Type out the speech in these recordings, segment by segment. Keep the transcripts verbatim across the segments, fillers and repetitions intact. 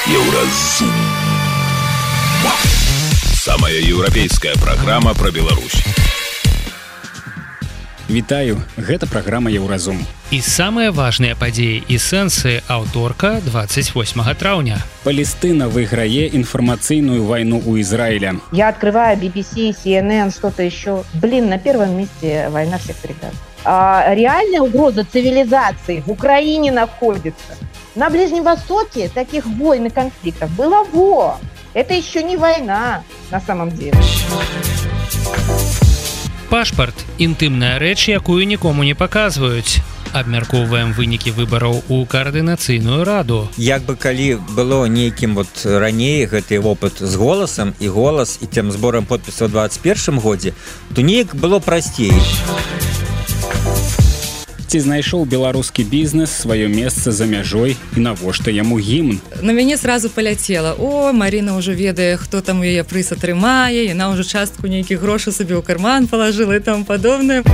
Еўразум. Самая еўрапейская праграма пра Беларусь. Вітаю, гэта праграма Еўразум. І самыя важныя падзеі і сэнсы аўторка двадцать восьмого траўня. Палестына выйграе информационную войну у Израиля. Я открываю би би си, си эн эн, что-то еще. Блин, на первом месте война всех передач. А реальная угроза цивилизации в Украине находится. На Ближнем Востоке таких войн и конфликтов было во. Это еще не война на самом деле. Пашпарт – інтымная рэч, якую нікому не паказваюць. Абмяркоўваем вынікі выбараў у каардынацыйную раду. Як бы калі было нейкім вот раней гэты опыт з голасам і голас і тым зборам подпісаў у двадцать першым годзе, то неяк было прасцей. Ці знайшоў беларускі бізнес сваё месца за мяжой і навошта яму гімн? На мяне сразу паляцела. О, Марина ўжо ведае, хто там у яе прыз атрымае, яна ўжо частку нейкіх грошай сабе ў карман палажыла і таму падобнае.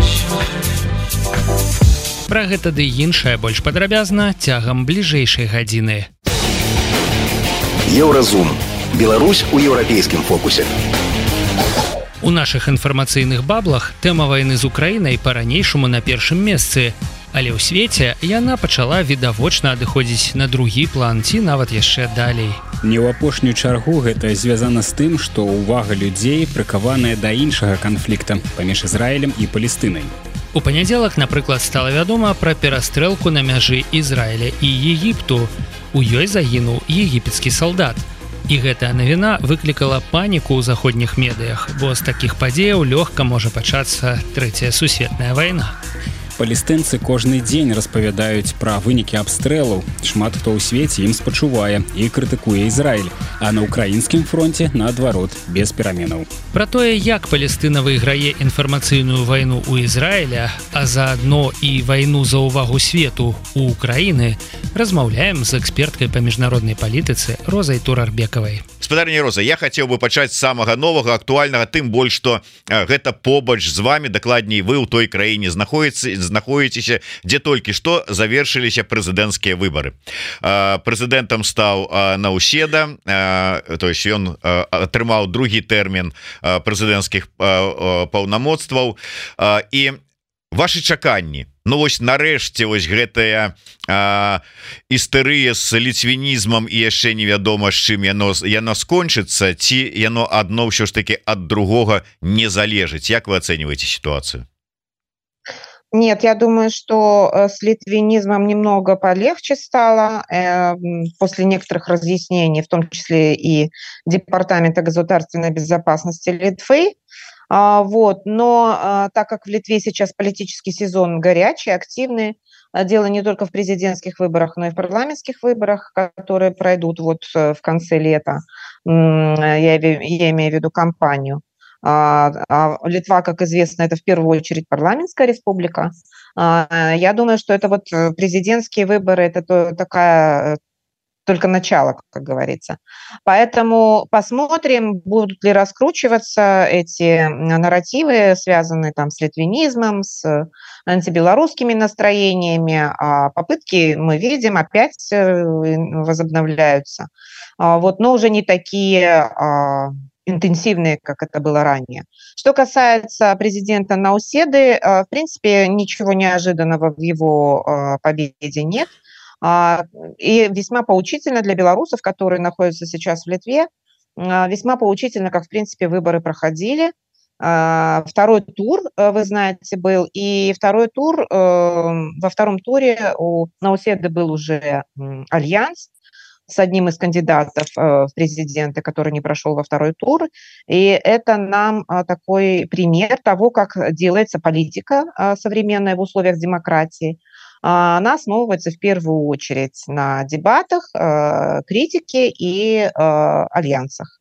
Пра гэта ды іншае больш падрабязна цягам бліжэйшай гадзіны. Еўразум. Беларусь у еўрапейскім фокусе. У нашых інфармацыйных баблах тэма вайны з Украінай па-ранейшаму на першым месцы, але ў свеце яна пачала відавочна адыходзіць на другі план ці нават яшчэ далей. Не ў апошнюю чаргу гэта звязана з тым, што ўвага людзей прыкаваная да іншага канфлікта паміж Ізраілем і Палестынай. У панядзелак, напрыклад, стала вядома пра перастрэлку на мяжы Ізраіля і Егіпту. У ёй загінуў егіпецкі салдат. І гэтая навіна выклікала паніку ў заходніх медыях, бо з такіх падзеяў лёгка можа пачацца трэцяя сусветная вайна. Палестынцы кожны дзень распавядаюць пра вынікі абстрэлаў. Шмат хто ў свеце ім спачувае і крытыкуе Ізраіль, а на ўкраінскім фронце, наадварот, без пераменаў. Пра тое, як Палестына выйграе інфармацыйную вайну ў Ізраіля, а заадно і вайну за ўвагу свету ў Украіны, размаўляем з эксперткай па міжнароднай палітыцы Розай Турарбекавай. Спадарня Роза, я хацеў бы пачаць з самага новага, актуальнага, тым больш, што гэта побач з вами, дакладней, вы ў той краіне знаходзіце, знаходзіцеся, дзе толькі што завершыліся прэзідэнцкія выбары. Прэзідэнтам стаў Наўседа, то есть ён атрымаў другі тэрмін прэзідэнцкіх паўнамоцтваў, і ваши чаканні. Ну вось нарэшце вось гэтая а, істэрыя з ліцвінізмам і яшчэ невядома з чым яно, яно скончыцца, ці яно адно ўсё ж таки ад другога не залежыць. Як вы ацэньваеце ситуацию? Нет, я думаю, что с литвинизмом немного полегче стало э, после некоторых разъяснений, в том числе и Департамента государственной безопасности Литвы. А, вот, но а, так как в Литве сейчас политический сезон горячий, активный, а, дело не только в президентских выборах, но и в парламентских выборах, которые пройдут вот в конце лета, я, я имею в виду кампанию. А, а Литва, как известно, это в первую очередь парламентская республика. А, я думаю, что это вот президентские выборы, это то, такая... только начало, как говорится. Поэтому посмотрим, будут ли раскручиваться эти нарративы, связанные там с литвинизмом, с антибелорусскими настроениями. А попытки, мы видим, опять возобновляются. Вот, но уже не такие интенсивные, как это было ранее. Что касается президента Науседы, в принципе, ничего неожиданного в его победе нет. И весьма поучительно для белорусов, которые находятся сейчас в Литве, весьма поучительно, как, в принципе, выборы проходили. Второй тур, вы знаете, был, и второй тур, во втором туре у Науседы был уже альянс с одним из кандидатов в президенты, который не прошел во второй тур. И это нам такой пример того, как делается политика современная в условиях демократии. Она основывается в первую очередь на дебатах, критике и альянсах,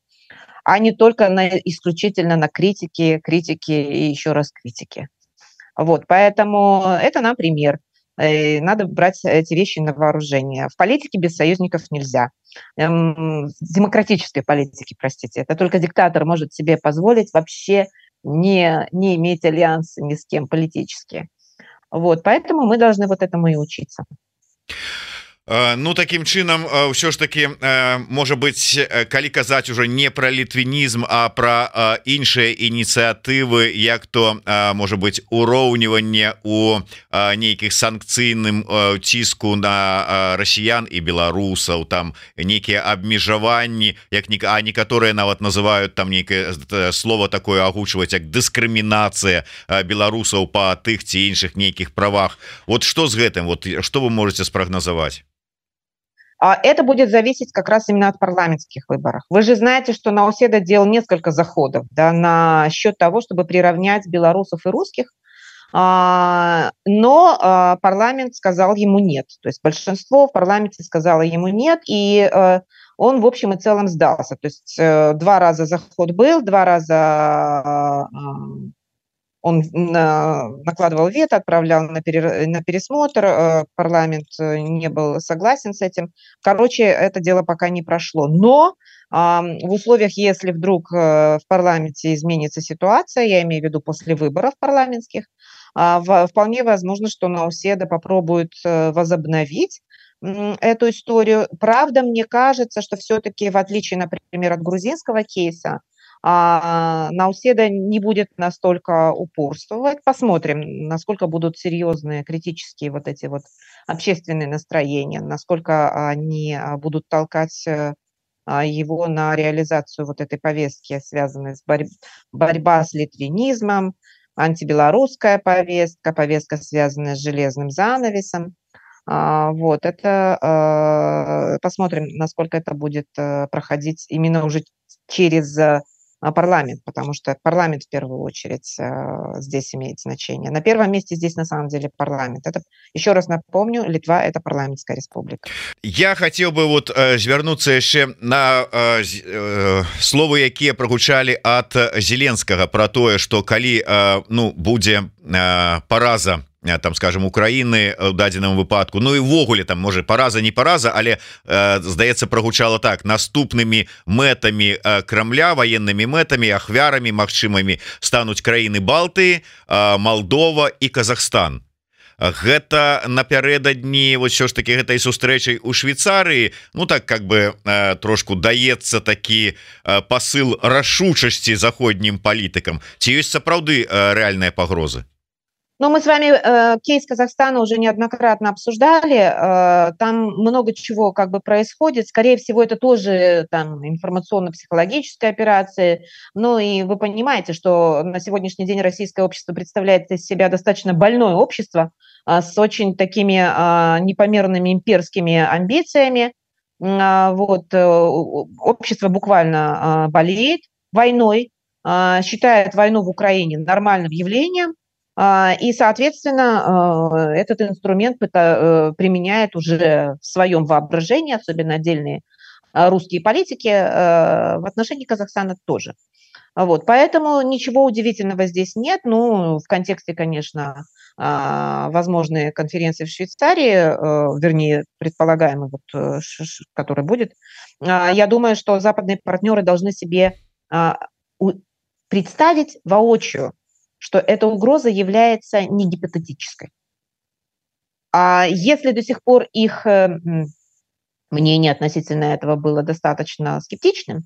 а не только на, исключительно на критике, критике и еще раз критике. Вот, поэтому это нам пример. Надо брать эти вещи на вооружение. В политике без союзников нельзя. В демократической политике, простите. Это только диктатор может себе позволить вообще не, не иметь альянса ни с кем политически. Вот, поэтому мы должны вот этому и учиться. Ну таким чынам ўсё ж таки можа быть, калі казаць уже не про літвінізм, а про іншыя ініцыятывы, як то можа быть уроўніванне у нейкіх санкцыйным ціску на расіян і беларусаў, там нейкія абмежаванні, як а некаторыя нават называют там нейкае слово такое агучваць як дыскрымінацыя беларусаў по тых ці іншых нейкіх правах. Вот что з гэтым, вот что вы можете спрагназаваць? Это будет зависеть как раз именно от парламентских выборов. Вы же знаете, что Науседа делал несколько заходов, да, на счет того, чтобы приравнять белорусов и русских, но парламент сказал ему нет. То есть большинство в парламенте сказало ему нет, и он в общем и целом сдался. То есть два раза заход был, два раза он накладывал вето, отправлял на, пере, на пересмотр, парламент не был согласен с этим. Короче, это дело пока не прошло. Но в условиях, если вдруг в парламенте изменится ситуация, я имею в виду после выборов парламентских, вполне возможно, что Науседа попробует возобновить эту историю. Правда, мне кажется, что все-таки, в отличие, например, от грузинского кейса, а Науседа не будет настолько упорствовать. Посмотрим, насколько будут серьезные, критические вот эти вот общественные настроения, насколько они будут толкать его на реализацию вот этой повестки, связанной с борь... борьба с литвинизмом, антибелорусская повестка, повестка, связанная с железным занавесом. Вот это посмотрим, насколько это будет проходить именно уже через парламент, потому что парламент в первую очередь здесь имеет значение. На первом месте здесь на самом деле парламент. Это, еще раз напомню, Литва — это парламентская республика. Я хотел бы вот звярнуцца яшчэ на э, э, словы, якія прагучалі ад Зеленскага про тое, что калі э, ну будзе э, параза там, скажем, Украины в дадзеным выпадку, ну и ввогуле там можа параза не параза, але э, здаецца прагучала так: наступнымі мэтамі э, Крамля, военными мэтамі, ахвярамі магчымымі стануць краіны Балтыі, э, Молдова і Казахстан. Гэта напярэдадні вот що ж таки гэтай сустрэчай у Швейцарыі, ну так как бы э, трошку даецца такі э, посыл рашучасці заходнім палітыкам. Ці ёсць сапраўды э, рэальныя пагрозы? Но мы с вами э, кейс Казахстана уже неоднократно обсуждали. Э, там много чего как бы происходит. Скорее всего, это тоже там информационно-психологическая операция. Ну и вы понимаете, что на сегодняшний день российское общество представляет из себя достаточно больное общество э, с очень такими э, непомерными имперскими амбициями. Э, вот, э, общество буквально э, болеет войной, э, считает войну в Украине нормальным явлением. И, соответственно, этот инструмент применяет уже в своем воображении, особенно отдельные русские политики, в отношении Казахстана тоже. Вот, поэтому ничего удивительного здесь нет. Ну, в контексте, конечно, возможной конференции в Швейцарии, вернее, предполагаемый, вот, который будет, я думаю, что западные партнеры должны себе представить воочию, что эта угроза является не гипотетической. А если до сих пор их мнение относительно этого было достаточно скептичным,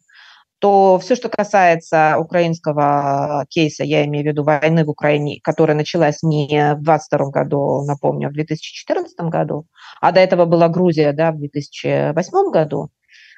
то все, что касается украинского кейса, я имею в виду войны в Украине, которая началась не в двадцать втором году, напомню, а в две тысячи четырнадцатом году, а до этого была Грузия, да, в две тысячи восьмом году,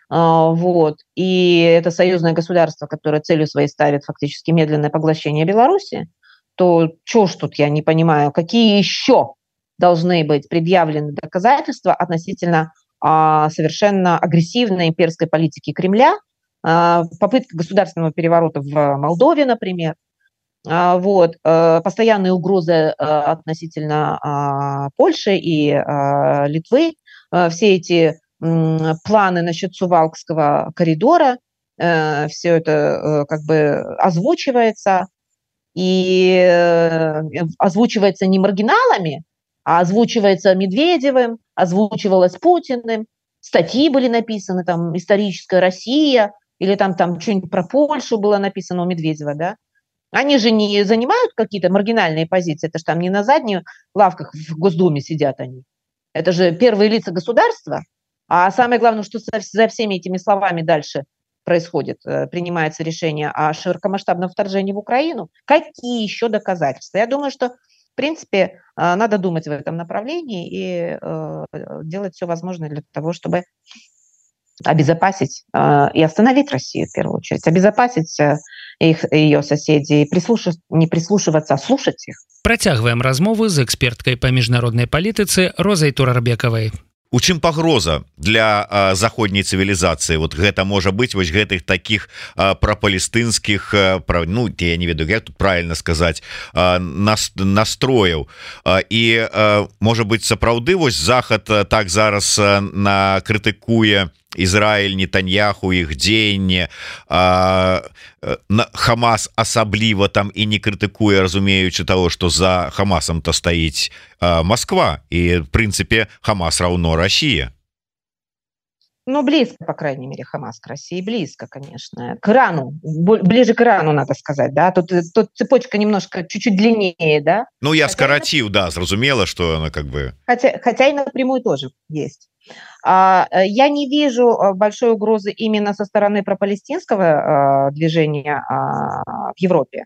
вот, и это союзное государство, которое целью своей ставит фактически медленное поглощение Беларуси, то что ж тут я не понимаю, какие еще должны быть предъявлены доказательства относительно а, совершенно агрессивной имперской политики Кремля, а, попытка государственного переворота в Молдове, например, а, вот, а, постоянные угрозы а, относительно а, Польши и а, Литвы, а, все эти м, планы насчет Сувалкского коридора, а, все это а, как бы озвучивается, и озвучивается не маргиналами, а озвучивается Медведевым, озвучивалось Путиным, статьи были написаны, там, «Историческая Россия», или там, там что-нибудь про Польшу было написано у Медведева, да? Они же не занимают какие-то маргинальные позиции, это же там не на задних лавках в Госдуме сидят они. Это же первые лица государства. А самое главное, что за всеми этими словами дальше происходит, принимается решение о широкомасштабном вторжении в Украину. Какие еще доказательства? Я думаю, что, в принципе, надо думать в этом направлении и делать все возможное для того, чтобы обезопасить и остановить Россию, в первую очередь, обезопасить их, ее соседей, прислушиваться, не прислушиваться, а слушать их. Працягваем размову з эксперткай па міжнароднай палітыцы Розай Турарбекавай. У чым пагроза для а, заходняй цывілізацыі? Вот гэта можа быць вось гэтых таких а, прапалестынскіх а, пра, ну я не ведаю, як тут правильно сказаць, а, нас, настрояў а, і а, можа быць сапраўды вось захад а, так зараз а, на крытыкуе Ізраіль, Нетаньяху, іх дзеянне, Хамас асабліва там і не крытыкуе, разумеючы того, што за Хамасам-то стаіць а, Москва, і в прынцыпе Хамас раўно Россия. Ну, близко, по крайней мере, Хамас к России, близко, конечно. К Ирану, ближе к Ирану, надо сказать, да? Тут, тут цепочка немножко, чуть-чуть длиннее, да? Ну, я скоротил, да, зразумела, что она как бы... Хотя, хотя и напрямую тоже есть. Я не вижу большой угрозы именно со стороны пропалестинского движения в Европе.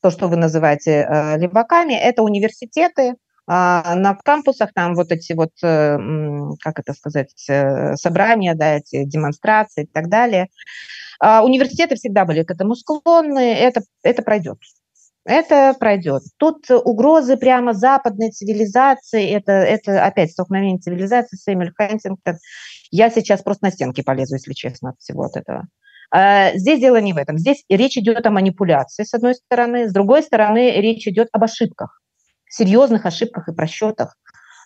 То, что вы называете леваками, это университеты, на кампусах там вот эти вот, как это сказать, собрания, да, эти демонстрации и так далее. Университеты всегда были к этому склонны, это, это пройдет. Это пройдет. Тут угрозы прямо западной цивилизации, это, это опять столкновение цивилизации, Сэмюэль Хантингтон. Я сейчас просто на стенки полезу, если честно, от всего от этого. Здесь дело не в этом. Здесь речь идет о манипуляции, с одной стороны. С другой стороны, речь идет об ошибках, серьезных ошибках и просчетах.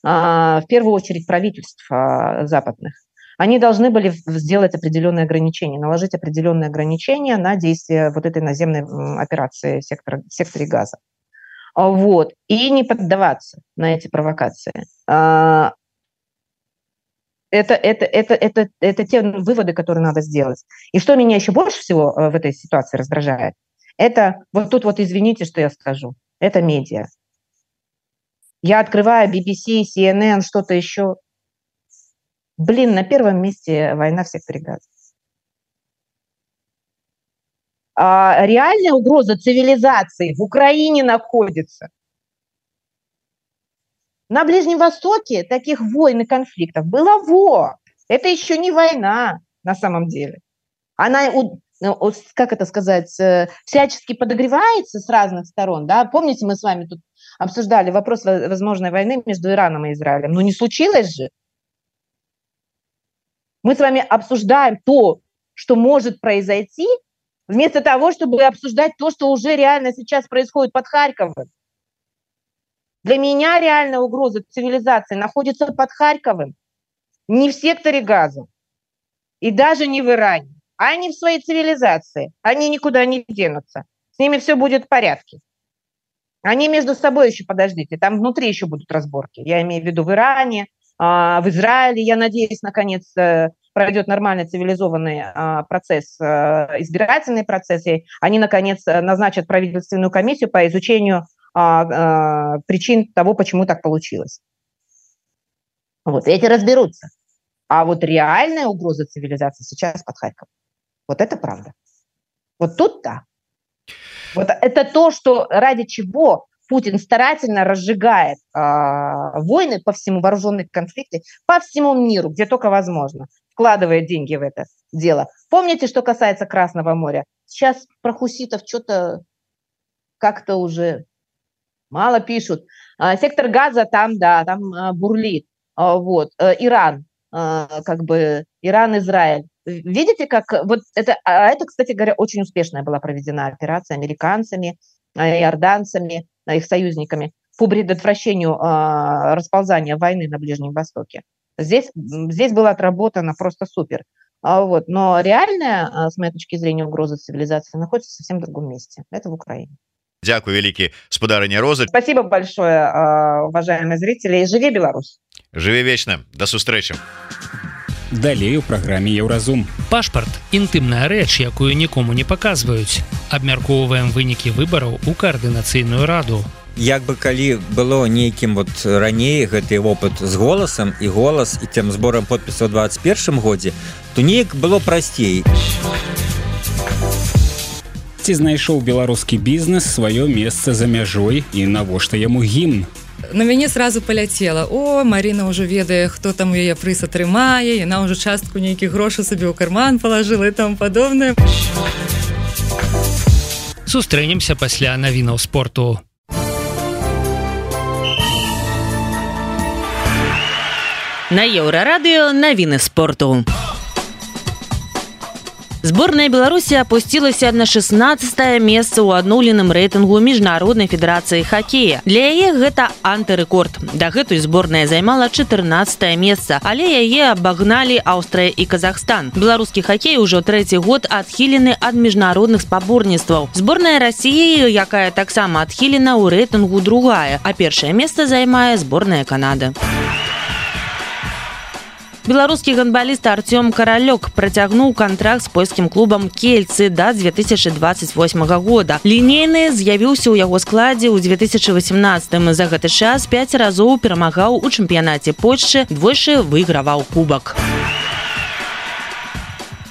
В первую очередь правительств западных. Они должны были сделать определенные ограничения, наложить определенные ограничения на действие вот этой наземной операции в секторе, в секторе Газа. Вот. И не поддаваться на эти провокации. Это, это, это, это, это те выводы, которые надо сделать. И что меня еще больше всего в этой ситуации раздражает, это, вот тут вот извините, что я скажу, это медиа. Я открываю би би си, си эн эн, что-то еще. Блин, на первом месте война в секторе Газа. А реальная угроза цивилизации в Украине находится. На Ближнем Востоке таких войн и конфликтов было во. Это еще не война на самом деле. Она, как это сказать, всячески подогревается с разных сторон. Да? Помните, мы с вами тут обсуждали вопрос возможной войны между Ираном и Израилем. Но не случилось же. Мы с вами обсуждаем то, что может произойти, вместо того, чтобы обсуждать то, что уже реально сейчас происходит под Харьковом. Для меня реальная угроза цивилизации находится под Харьковом, не в секторе Газа, и даже не в Иране. Они в своей цивилизации, они никуда не денутся. С ними все будет в порядке. Они между собой еще, подождите, там внутри еще будут разборки. Я имею в виду в Иране, в Израиле, я надеюсь, наконец пройдет нормальный цивилизованный процесс, избирательный процесс, и они, наконец, назначат правительственную комиссию по изучению причин того, почему так получилось. Вот, эти разберутся. А вот реальная угроза цивилизации сейчас под Харьковом. Вот это правда. Вот тут да. Вот это то, что ради чего Путин старательно разжигает э, войны по всему, вооруженные конфликты по всему миру, где только возможно, вкладывает деньги в это дело. Помните, что касается Красного моря? Сейчас про хуситов что-то как-то уже мало пишут. Э, сектор Газа там, да, там э, бурлит. Э, вот. Э, Иран, э, как бы, Иран, Израиль. Видите, как вот это, а это, кстати говоря, очень успешная была проведена операция американцами, иорданцами, их союзниками по предотвращению э, расползания войны на Ближнем Востоке. Здесь, здесь было отработано просто супер. А вот, но реальная, с моей точки зрения, угроза цивилизации находится в совсем другом месте. Это в Украине. Дякую, великий спадарыня Роза. Спасибо большое, уважаемые зрители. Живи Беларусь! Живи вечно. До встречи. Далей у праграме Еўразум. Пашпарт – інтымная рэч, якую нікому не паказваюць. Абмяркоўваем вынікі выбараў у каардынацыйную раду. як бы калі было нейкім вот раней гэты опыт з голасам і голас і тем зборам подпісаў у двадцать першым годзе, то неяк было прасцей. Ці знайшоў беларускі бізнес сваё месца за мяжой і навошта яму гімн? На мяне сразу поляцела: о, Марина ўжо ведае, хто там у яе прыз атрымае, яна ўжо частку нейкіх грошай сабе ў карман палажыла і там падобнае. Сустрэнемся пасля навінаў спорту. На Еўрарадыё навіны спорту. Сборная Беларуси опустилась на шестнадцатое место ў адноўленым рэйтынгу Міжнароднай федэрацыі хоккея. Для яе гэта антырэкорд. Дагэтуль зборная займала четырнадцатое место, але яе абагналі Аўстрыя і Казахстан. Беларускі хоккей ужо трэці год адхілены ад міжнародных спаборніцтваў. Зборная России, якая таксама адхілена, ў рэйтынгу другая, а першае место займае зборная Канады. Беларускі гандбаліст Артём Каралёк працягнуў кантракт з польскім клубам Кельцы да две тысячи двадцать восьмага года. Лінейны з'явіўся ў яго складзе ў две тысячи восемнадцатым. За гэты час пяць разоў перамагаў у чэмпіянаце Польшчы, двойчы выйграваў кубак.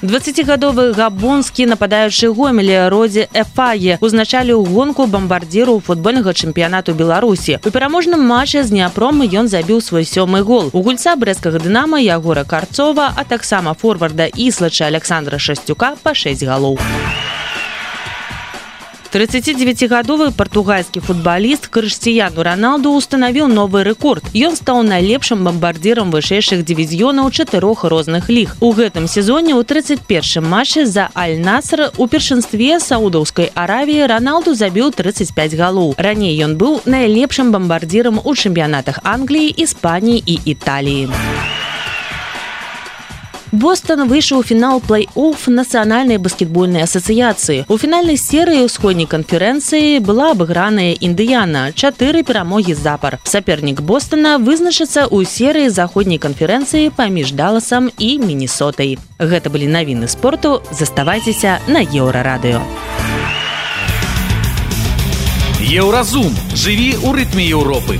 дваццацігадовы габонскі нападаючы Гомелі Родзі Эфаге узначаліў гонку бамбардзіру футбольнага чэмпіянату Беларусі. У пераможным матчы з Дняпром ён забіў свой сёмы гол. У гульца брэсцкага Дынама Ягора Карцова, а таксама форварда Іслача Александра Шасцюка па шэсць галоў. тридцатидевятигадовы португальскі футболіст Крыштіяну Роналду устанавіў новы рэкорд. Ён стаў найлепшым бамбардзірам вышэйшых дывізіёнаў чатырох розных ліг. У гэтым сезоне ў тридцать первым матчы за Аль-Наср у першынстве Саудаўскай Аравіі Роналду забіў тридцать пять галоў. Раней ён быў найлепшым бамбардзірам у чэмпіянатах Англіі, Іспаніі і Італіі. Бостон выйшаў у фінал плей-офф Нацыянальнай баскетбольнай асацыяцыі. У фінальнай серыі ўсходняй канферэнцыі была абыграная Індыяна, чатыры перамогі запар. Сапернік Бостона вызначыцца ў серыі заходняй канферэнцыі паміж Даласам і Мінесотай. Гэта былі навіны спорту. Заставайцеся на Еўрарадыё. Еўразум. Жыві ў рытме Еўропы.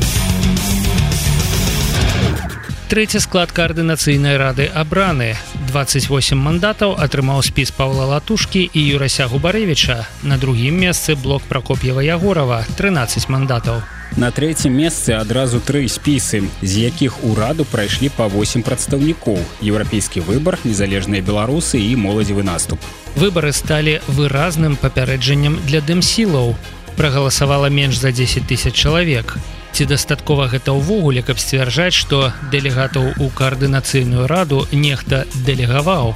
Трэці склад каардынацыйнай рады абраны. двадцать восемь мандатаў атрымаў спіс Паўла Латушкі і Юрася Губарэвіча. На другім месцы блок Пракоп'ева-Ягорова, трынаццаць мандатаў. На трэцім месцы адразу тры спісы, з якіх у раду прайшлі па восемь прадстаўнікоў: еўрапейскі выбар, незалежныя беларусы і моладзевы наступ. Выбары сталі выразным папярэджаннем для дэмсілаў. Прагаласавала менш за дзесяць тысяч чалавек. Ці дастаткова гэта ўвогуле, каб сцвярджаць, што дэлегатаў у каардынацыйную раду нехта дэлегаваў?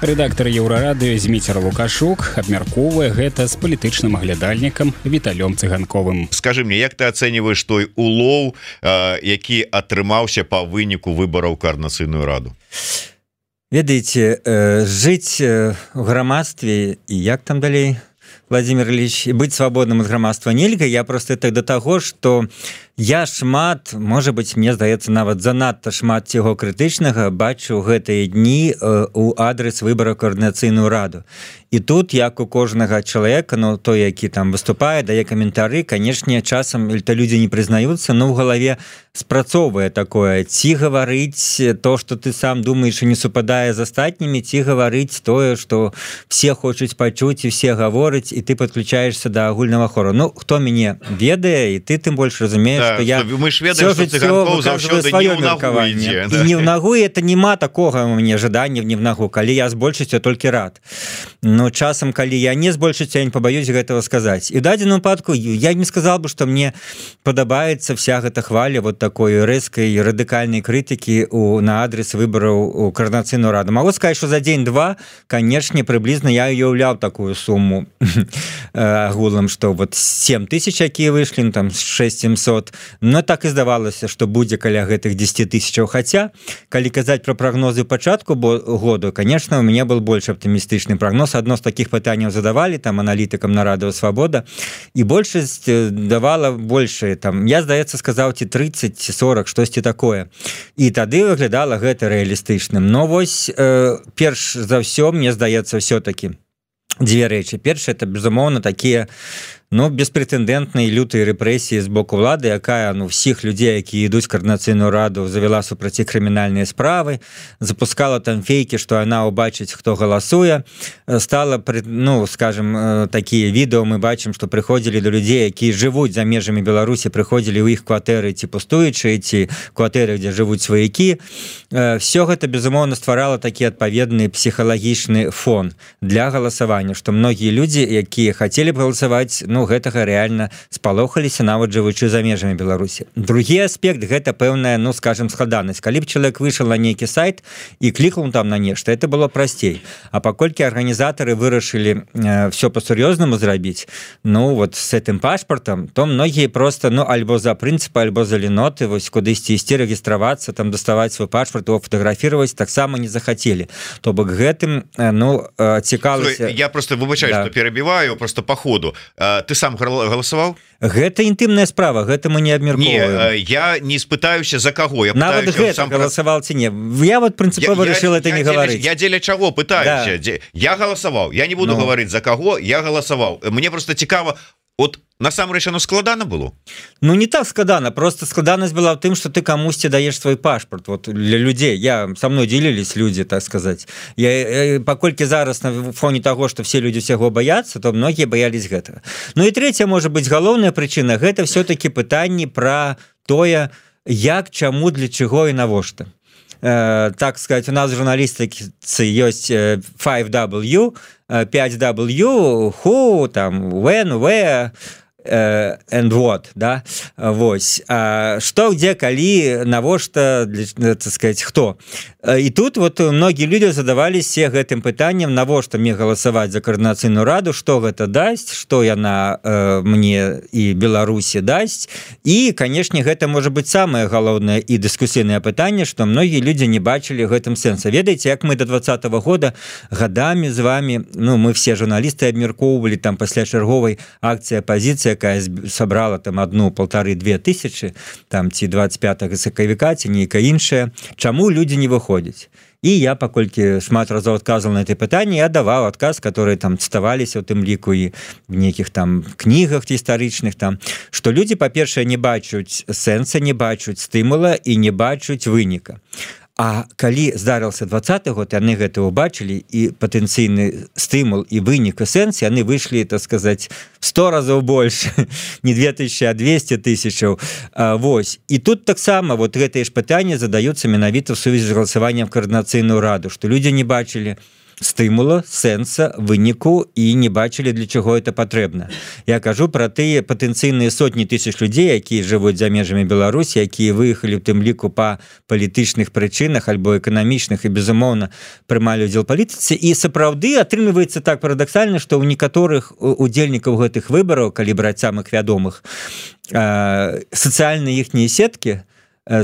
Рэдактар Еўрарадыё Зміцер Лукашук абмяркоўвае гэта з палітычным аглядальнікам Віталём Цыганковым. Скажы мне, як ты ацэньваеш той улоў, э, які атрымаўся па выніку выбараў каардынацыйную раду? Ведаеце, э, жыць э, у грамадстве і як там далей, Владимир Ильич, быць свабодным ад грамадства нельга. Я просто так да таго, што я шмат, можа быць, мне здаецца, нават занадта шмат цього крытычнага бачу гэтыя дні э, у адрес выбараў каардынацыйную раду. І тут, як у кожнага чалавека, ну, той, які там выступае, дае каментары, канешне, часам то людзі не прызнаюцца, но ў галаве спрацоўвае такое: ці гаварыць то, што ты сам думаеш і не супадае з астатнімі, ці гаварыць тое, што все хочуць пачуць і все гавораць, і ты подключаешься да агульнага хору. Ну, хто мяне ведае, і ты тым больш разумееш, да, што я мы ж ведаем, што Цыганкоў заўсёды не ў нагу ідзе. І не ў нагу, і это няма такога у мяне жадання не в нагу, калі я з большасцю толькі рад. Но часам, калі я не з большасцю, я не пабаюсь гэтага сказаць. І ў дадзеным выпадку я не сказал бы, што мне падабаецца вся гэта хваля вот такой рэзкай радыкальнай крытыкі у, на адрес выбараў у каардынацыйную раду. Магу сказаць, што за дзень-два, канешне, прыблізна я уяўляў такую суму агулам, што вот сем тысяч, якія выйшлі, там шэсць семьсот, но так і здавалася, што будзе каля гэтых дзесяць тысячаў. Хаця, калі казаць пра прагнозы пачатку году, конечно, у мяне был больш аптымістычны прагноз. Адно з такіх пытанняў задавалі там аналітыкам на Радыё Свабода, і большасць давала большае, там, я, здаецца, сказаў ці тридцать сорок, штосьці такое. І тады выглядала гэта рэалістычным. Но вось э, перш за ўсё, мне здаецца, ўсё-такі дзве рэчы. Першае, это, безумоўна, такія ну беспрэтэндэнтнай лютай рэпрэсіі з боку ўлады, якая ну всіх людзей, які ідуць Координацыйную раду, завяла супраці крымінальныя справы, запускала там фейкі, што яна ўбачыць, хто галасуе, стала, ну скажем, такія відэо мы бачым, што прыходзілі до людзей, якія жывуць за межамі Беларусі, прыходзілі ў іх кватэры ці пустуючыя, ці кватэры, дзе жывуць сваякі. Все гэта безумоўна стварала такі адпаведны псіхалагічны фон для галасавання, што многія людзі, якія хацелі б галасаваць, ну гэтага рэальна спалохаліся, нават жывучы за межамі Беларусі. Другі аспект гэта пэўная, ну скажем, складанасць. Калі б чалавек выйшаў на нейкі сайт і клікаў там на нешта, это было прасцей. А паколькі арганізатары вырашылі э, все па-сур'ёзнаму зрабіць, ну вот с этим пашпартам, то многія просто, ну альбо за прынцыпы, альбо за леноты, вось кудысьці ісці рэгістравацца, там даставаць свой пашпарт, его фотаграфировать таксама не захацелі. То бок гэтым, э, ну цікалася. Я просто выбачаю, да. Что перебиваю просто по ходу. Ты сам галасаваў? Гэта інтымная справа, гэта мы не абмяркоўваем. Не, я не спытаюся за каго. Я нават гэта сам галасаваў ці не. Я вот прынцыпова решил это я не дзеля, говорить. Я дзеля чаго пытаюся? Да. Я галасаваў. Я не буду ну. говорить за каго, я галасаваў. Мне просто цікава, от насамрэч оно складана было? Ну не так складана, просто складанасць была в тым, что ты камусьці даеш свой пашпарт вот для людзей. Я со мной делились люди, так сказать. Я, я паколькі зараз на фоне того, что все люди всего боятся, то многие боялись гэтага. Ну и третья, может быть, галоўная причина, гэта все-таки пытанне про тое, як, чаму, для чаго и навошта. Э, так сказать, у нас в журналістыцы ёсць five W, пять W, who, там, when, where, Uh, and what, да, вось, uh, што, где, калі, навошта, так сказать, хто. Uh, і тут вот многія людзі задаваліся гэтым пытаннем, навошта мне галасаваць за Координацыйную раду, што гэта дасць, што яна uh, мне і Беларусі дасць, і, канешне, гэта можа быць самае галоўнае і дыскусійнае пытанне, што многія людзі не бачылі гэтым сэнса. Ведаеце, як мы до двадцатого года гадамі з вами, ну, мы все журналісты абмяркоўвалі там пасля чарговай акцыі апозіцыі, якая сабрала там одну полторы две тысячи там ці двадцать пятого сакавіка ці нейкая іншая, чаму людзі не выходзяць. І я паколькі шмат разоў адказваў на это пытанне, я даваў адказ, которые там цытаваліся у тым ліку і в нейкіх там кнігах гістарычных, там што людзі, па-першае, не бачуць сэнса, не бачуць стымула і не бачуць выніка. А калі здарыўся двадцаты год, яны гэта ўбачылі, і патэнцыйны стымул і вынік і сэнс, яны выйшлі, так сказаць, сто разоў больш, не две тысячи, а двести тысячаў. Вось. І тут таксама вот гэтыя ж пытанні задаюцца менавіта ў сувязі з галасаваннем в Координацыйную раду, што людзі не бачылі стымула, сэнса, выніку і не бачылі, для чаго это патрэбна. Я кажу пра тыя патэнцыйныя сотні тысяч людзей, якія жывуць за межамі Беларусі, якія выехалі ў тым ліку па палітычных прычынах альбо эканамічных і, безумоўна, прымалі ўдзел палітыцы. І сапраўды атрымліваецца так парадаксальна, што ў некаторых удзельнікаў гэтых выбараў, калі браць самых вядомых, сацыяльныя іхнія сеткі,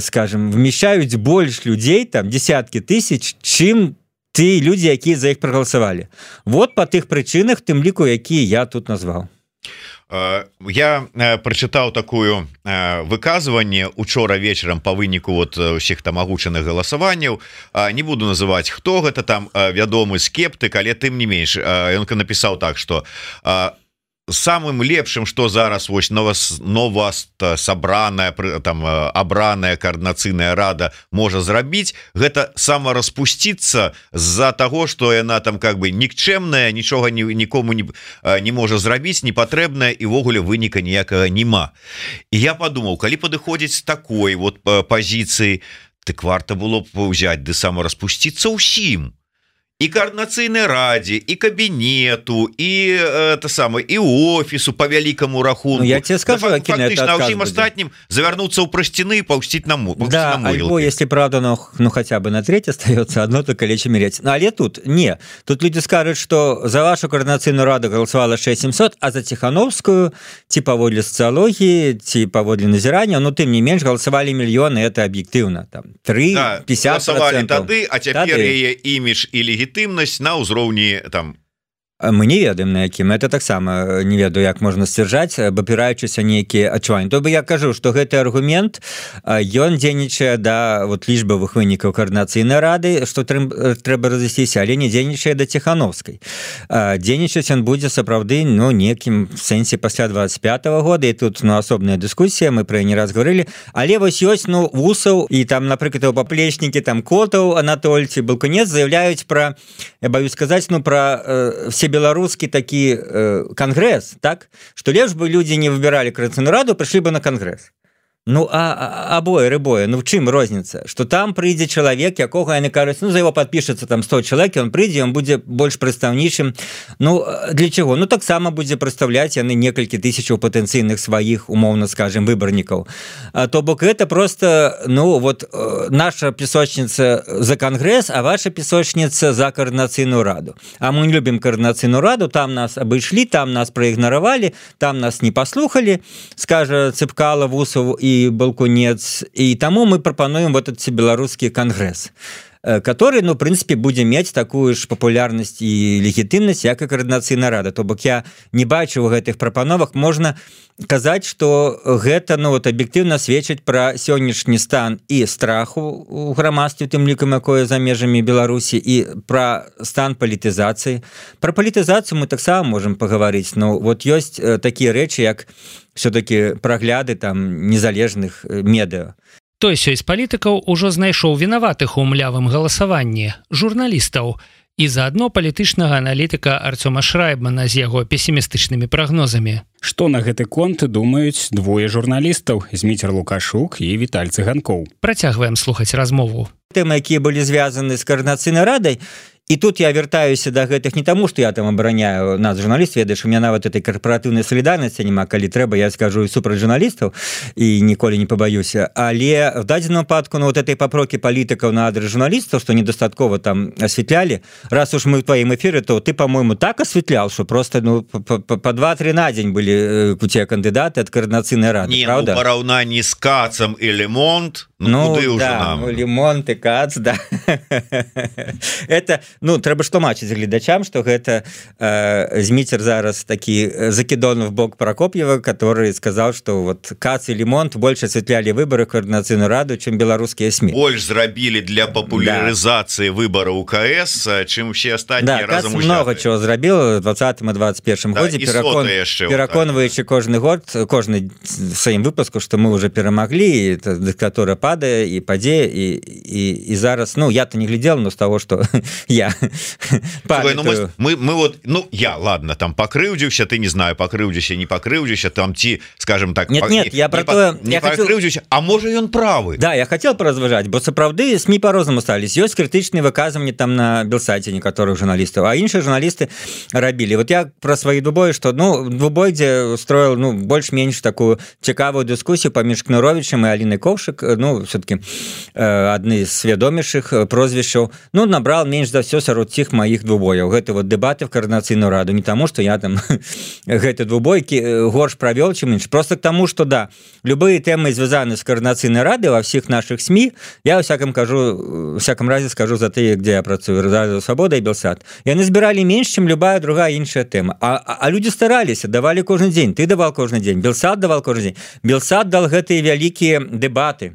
скажем, вмещаюць больш людзей, там дзесяткі тысяч, чым ті людзі, якія за іх прагаласавалі. Вот па тых прычынах, тым ліку, якія я тут назваў. Я прачытаў такую выказванне учора вечарам па выніку вот усіх там агучаных галасаванняў. Не буду называць, хто гэта там вядомы скептык, але тым не менш ён напісаў так, што самым лепшым, что зараз вось нова сабраная там абраная Координацыйная рада можа зрабіць, гэта самараспусціцца з-за того, что яна там как бы нікчэмная, нічога нікому не, не можа зрабіць, непатрэбная і ввогуле выніка ніякага няма. І я подумаў, калі падыходзіць з такой вот пазіцыі, дык варта было б ўзяць ды самараспусціцца ўсім. И Координацыйной раде, и кабинету, и это самое, и офису по великому рахунку. Ну, я тебе скажу, да, фактично, а всем остальным завернуться у простины и паустить на могилке. Да, на альбо, если правда, ну, ну хотя бы на треть остается, одно только лечь умереть. Ну, але тут, не. Тут люди скажут, что за вашу Координацыйную раду голосовало шесть тысяч семьсот, а за Тихановскую, типа паводле социологии, типа паводле назирания, ну, тем не меньше, голосовали миллионы, это объективно. Там, три, да, пятьдесят процентов. Голосовали тады, а теперь ее имидж и легитимность на ўзроўні там мы не ведаем на якім это таксама не ведаю як можна сцвярджаць абапіраючыся нейкія адчуванні то бы я кажу што гэты аргумент ён дзейнічае да вот лічбавых вынікаў каардынацыйнай рады што трэба разысціся але не дзейнічае да Ціхановскай дзейнічаць ён будзе сапраўды ну некім сэнсе пасля двадцать пятого года і тут ну асобная дыскусія мы пра не раз говорили але вось ёсць ну вусаў і там напрыклад у паплечнікі там Котаў Анатольці Балкунец заявляюць пра я боюсь сказаць ну пра э, все беларускі такі э, кангрэс так што лепш бы людзі не выбіралі Координацыйную раду прыйшлі бы на кангрэс ну а абое рыбое ну в чым розніца што там прыйдзе чалавек якога яны кажуць ну за его подпішацца там сто чалавек он прыйдзе он будзе больш прадстаўнічым ну для чаго ну таксама будзе прадстаўляць яны некалькі тысячаў патэнцыйных сваіх умоўна скажем выбарнікаў то бок это просто ну вот наша песочница за кангрэс а ваша песочница за Координацыйную раду а мы не любім Координацыйную раду там нас абышлі там нас праігнаравалі там нас не паслухали скажа Цыпкала Вусаў і Балкунец і таму мы прапануем вот этот беларускі кангрэс который ну в принципе будзе мець такую ж папулярнасць і легітымнасць як і Координацыйная рада то бок я не бачу у гэтых прапановах можна казаць что гэта ну вот аб'ектыўна сведчыць пра сённяшні стан і страху у грамадстве тым лікам якое за межамі Беларусі і пра стан палітызацыі пра палітызацыю мы таксама можем пагаварыць ну вот ёсць такія рэчы як все-таки прагляды там незалежных медыа той сёй з палітыкаў ужо знайшоў вінаватых у млявым галасаванні журналістаў і заадно палітычнага аналітыка Арцёма Шрайбмана з яго песімістычнымі прагнозамі. Што на гэты конт думаюць двое журналістаў Зміцер Лукашук і Віталь Цыганкоў. Працягваем слухаць размову. Тэмы, якія былі звязаны з Координацыйнай радай, і тут я вяртаюся да гэтых не таму, што я там абараняю нас журналіст, ведаеш, у меня нават этой карпаратыўнай салідарнасці няма, калі трэба, я скажу і супраць журналістаў і ніколі не пабаюся, але в дадзеным выпадку ну, вот этой папрокі палітыкаў на адрес журналістаў, што недастаткова там асвятлялі, раз уж мы в твоім эфіры, то ты, по-моему, так асвятлял, што просто ну, по два-тры на дзень былі у тебя кандыдаты ад Координацыйнай рады, не, правда? Не, ну, параўнанні з Кацам і Лемонт, ну, ну куды ўжо да, нам? Ну, Лемонт і Кац, да. Это, ну, трэба ж тлумачыць гледачам, што гэта э, Зміцер зараз такі закидон в бок Прокопьева, который сказал, что вот Кац и Лемонт больше осветляли выборы в Координацыйную раду, чем белорусские СМИ. Больше зрабілі для популяризации да. выборов УКС, чем все остальные да, разом Кац много чего зрабіў у двадцатым и двадцать первом да, годзе, перакон... пераконваючы кожны год, кожны сваім выпуску, что мы уже перамаглі, это диктатура падае и падзе, и, и, и зараз, ну, я-то не глядел, но с того, что я Слухай, ну, мы, мы, мы вот, ну, я, ладно, там покрыўдзіўся, ты не знаю, покрыўдзіўся, не покрыўдзіўся, там ці, скажем так, нет, по, нет, не, я про не, то, не я покрыўдзіўся, хотел... а можа ён правы. Да, я хотел поразважаць, бо сапраўды СМИ по-рознаму стались. Ёсць крытычныя выказванні там на Белсайце некаторых журналістаў, а іншыя журналісты рабілі. Вот я про свои дубой, что, ну, Дубой, где устроил, ну, больш-менш такую цікавую дыскусію паміж Кныровічам і Алінай Ковшык, ну, все-таки э, адны з свядомейшых прозвішчаў, ну, набрал менш за все сярод цих моих двубояў. Гэта вот дэбаты в Координацыйную раду, не тому, что я там гэты двубойкі горш правёл, чым менш, просто к тому, что да, любые темы звязаны с Координацыйной радой во всех наших СМИ, я во всяком кажу, во всяком разе скажу за тыя, где я працую, Радио Свобода и Белсат, яны збіралі менш, чым любая другая іншая тема. А, а, а люди стараліся, давали кожны дзень, ты давал кожны дзень, Белсат давал кожны дзень. Белсат дал гэтыя вялікія дэбаты,